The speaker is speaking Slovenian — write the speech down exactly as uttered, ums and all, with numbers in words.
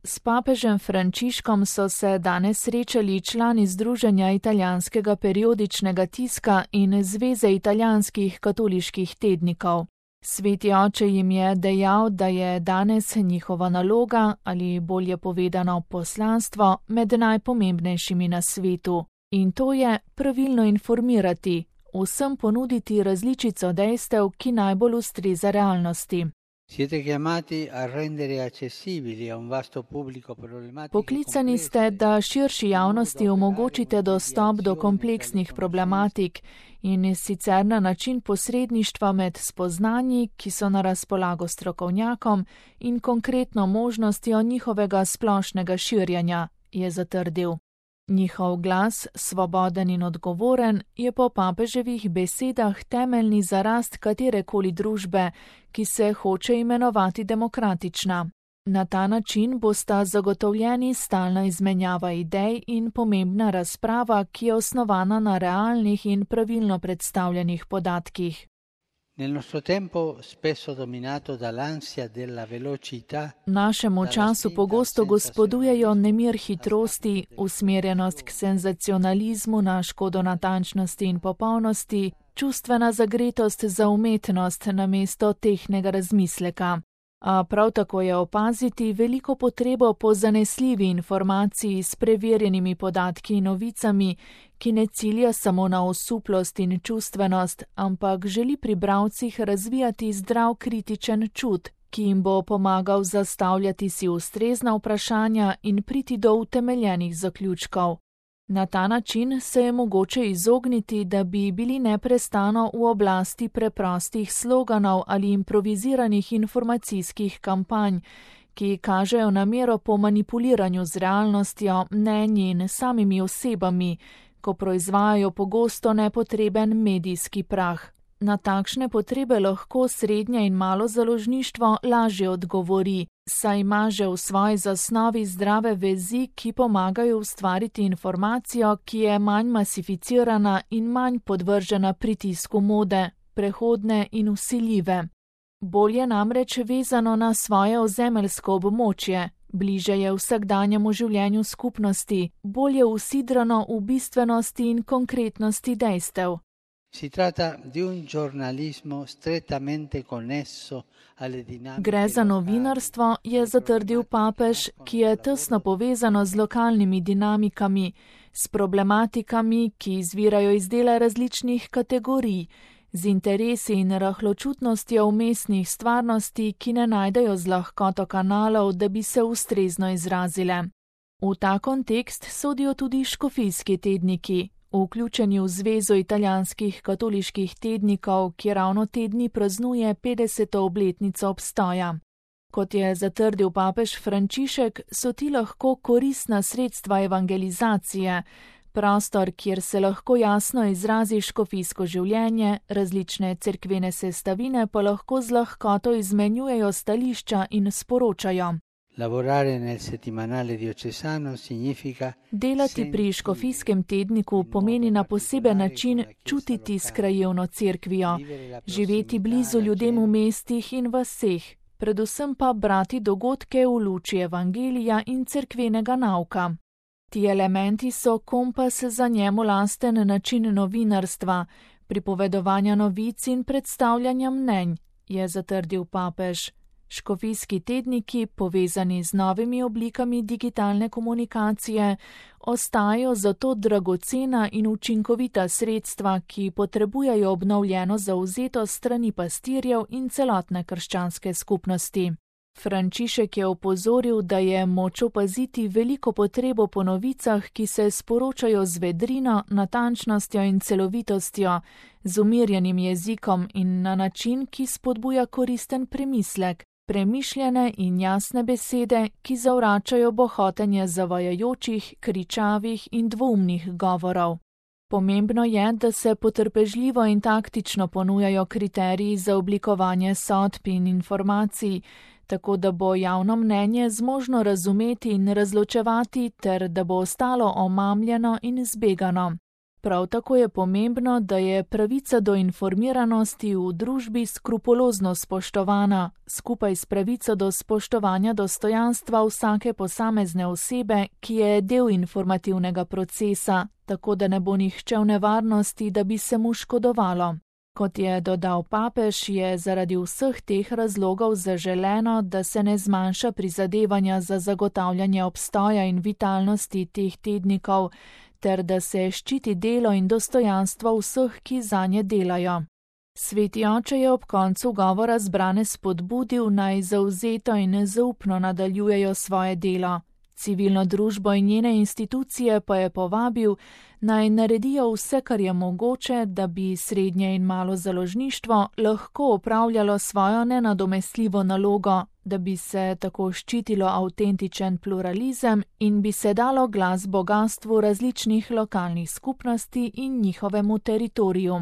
S papežem Frančiškom so se danes srečali člani Združenja italijanskega periodičnega tiska in Zveze italijanskih katoliških tednikov. Sveti oče jim je dejal, da je danes njihova naloga, ali bolje povedano poslanstvo, med najpomembnejšimi na svetu. In to je pravilno informirati, vsem ponuditi različico dejstev, ki najbolj ustreza realnosti. Poklicani ste, da širši javnosti omogočite dostop do kompleksnih problematik in sicer na način posredništva med spoznanji, ki so na razpolago strokovnjakom, in konkretno možnostjo njihovega splošnega širjenja, je zatrdil. Njihov glas, svoboden in odgovoren, je po papeževih besedah temeljni za rast katerekoli družbe, ki se hoče imenovati demokratična. Na ta način bosta zagotovljeni stalna izmenjava idej in pomembna razprava, ki je osnovana na realnih in pravilno predstavljenih podatkih. Našemu času pogosto gospodujejo nemir hitrosti, usmerjenost k senzacionalizmu na škodo natančnosti in popolnosti, čustvena zagretost za umetnost namesto tehtnega razmisleka. A prav tako je opaziti veliko potrebo po zanesljivi informaciji s preverjenimi podatki in novicami, ki ne cilja samo na osuplost in čustvenost, ampak želi pri bralcih razvijati zdrav kritičen čut, ki jim bo pomagal zastavljati si ustrezna vprašanja in priti do utemeljenih zaključkov. Na ta način se je mogoče izogniti, da bi bili neprestano v oblasti preprostih sloganov ali improviziranih informacijskih kampanj, ki kažejo namero po manipuliranju z realnostjo, mnenji in samimi osebami, ko proizvajajo pogosto nepotreben medijski prah. Na takšne potrebe lahko srednje in malo založništvo lažje odgovori, saj ima že v svoji zasnovi zdrave vezi, ki pomagajo ustvariti informacijo, ki je manj masificirana in manj podvržena pritisku mode, prehodne in vsiljive. Bolje namreč vezano na svoje ozemeljsko območje, bliže je vsakdanjemu življenju skupnosti, bolje usidrano v bistvenosti in konkretnosti dejstev. Gre za novinarstvo, je zatrdil papež, ki je tesno povezano z lokalnimi dinamikami, s problematikami, ki izvirajo iz dela različnih kategorij, z interesi in rahločutnostjo vmesnih stvarnosti, ki ne najdejo z lahkoto kanalov, da bi se ustrezno izrazile. V ta kontekst sodijo tudi škofijski tedniki, vključeni v Zvezo italijanskih katoliških tednikov, ki ravno te dni praznuje petdeseto obletnico obstoja. Kot je zatrdil papež Frančišek, so ti lahko koristna sredstva evangelizacije, prostor, kjer se lahko jasno izrazi škofijsko življenje, različne cerkvene sestavine pa lahko z lahkoto izmenjujejo stališča in sporočajo. Delati pri škofijskem tedniku pomeni na poseben način čutiti s krajevno cerkvijo, živeti blizu ljudem v mestih in vaseh, predvsem pa brati dogodke v luči evangelija in cerkvenega nauka. Ti elementi so kompas za njemu lasten način novinarstva, pripovedovanja novic in predstavljanja mnenj, je zatrdil papež. Škofijski tedniki, povezani z novimi oblikami digitalne komunikacije, ostajajo zato dragocena in učinkovita sredstva, ki potrebujejo obnovljeno zavzetost strani pastirjev in celotne krščanske skupnosti. Frančišek je opozoril, da je moč opaziti veliko potrebo po novicah, ki se sporočajo z vedrino, natančnostjo in celovitostjo, z umirjenim jezikom in na način, ki spodbuja koristen premislek, premišljene in jasne besede, ki zavračajo bohotenje zavajajočih, kričavih in dvoumnih govorov. Pomembno je, da se potrpežljivo in taktično ponujajo kriteriji za oblikovanje sodb in informacij, tako da bo javno mnenje zmožno razumeti in razločevati ter da bo ostalo omamljeno in zbegano. Prav tako je pomembno, da je pravica do informiranosti v družbi skrupulozno spoštovana, skupaj s pravico do spoštovanja dostojanstva vsake posamezne osebe, ki je del informativnega procesa, tako da ne bo nihče v nevarnosti, da bi se mu škodovalo. Kot je dodal papež, je zaradi vseh teh razlogov zaželeno, da se ne zmanjša prizadevanja za zagotavljanje obstoja in vitalnosti teh tednikov, ter da se ščiti delo in dostojanstvo vseh, ki zanje delajo. Sveti oče je ob koncu govora zbrane spodbudil, naj zavzeto in zaupno nadaljujejo svoje delo. Civilno družbo in njene institucije pa je povabil, naj naredijo vse, kar je mogoče, da bi srednje in malo založništvo lahko opravljalo svojo nenadomestljivo nalogo, da bi se tako ščitilo avtentičen pluralizem in bi se dalo glas bogastvu različnih lokalnih skupnosti in njihovemu teritoriju.